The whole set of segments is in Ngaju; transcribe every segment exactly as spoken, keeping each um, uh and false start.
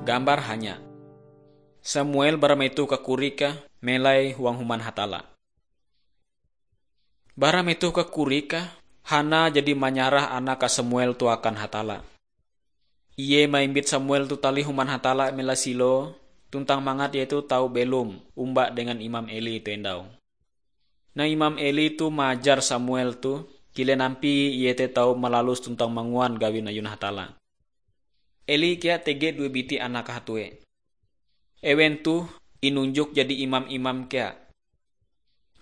Gambar hanya. Samuel bara metoh kakorike melai huang human Hatalla. Bara metoh kakorike, Hana jadi manyarah anake Samuel toh akan Hatalla. Ie maimbit Samuel toh talih human Hatalla melai Silo, tuntang mangat ie toh tau belom omba dengan Imam Eli toh endau. Nah, Imam Eli toh maajar Samuel toh kilen ampie ie te tau malalus tuntang manguan gawin ayun Hatalla. Eli kea tege due biti anake hatue. Ewen toh inunjok jadi imam-imam kea.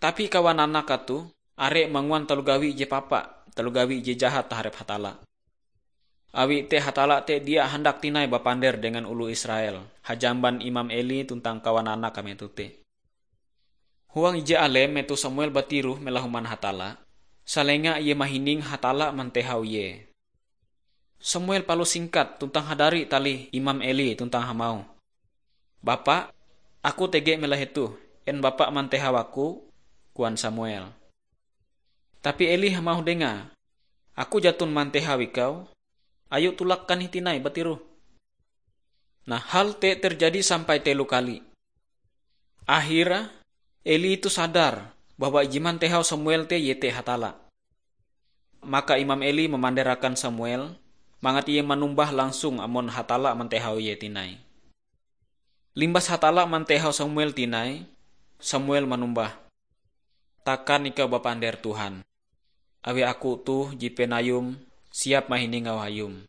Tapi kawan anake toh are manguan taloh gawi ije papa, taloh gawi ije jahat taharep Hatalla. Awi te Hatalla te dia handak tinai bapander dengan oloh Israel, hajamban Imam Eli tuntang kawan anake metoh te. Huang ije alem metoh Samuel batiroh melai human Hatalla, salenga ie mahining Hatalla mantehau ie. Samuel palus singkat tuntang hadari talih Imam Eli tuntang hamauh, "Bapa, aku tege melai hetoh. En Bapa mantehau aku?" koan Samuel. Tapi Eli hamauh dengae, "Aku jaton mantehau ikau. Ayo tolak kanih tinai batiroh." Nah, hal te terjadi sampai telo kali. Akhire, Eli toh sadar bahwa ije mantehau Samuel te iete Hatalla. Maka Imam Eli mamanderakan Samuel, mangat ie manumbah langsung amon Hatalla mantehau ie tinai. Limbas Hatalla mantehau Samuel tinai, Samuel manumbah, "Takan ikau bapander Tuhan, awi aku toh jipen Ayum siap mahining auh Ayum."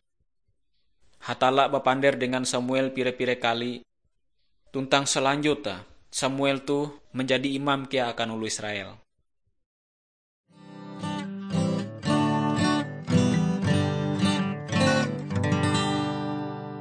Hatalla bapander dengan Samuel pire-pire kali, tuntang selanjutnya Samuel toh manjadi imam kea akan oloh Israel.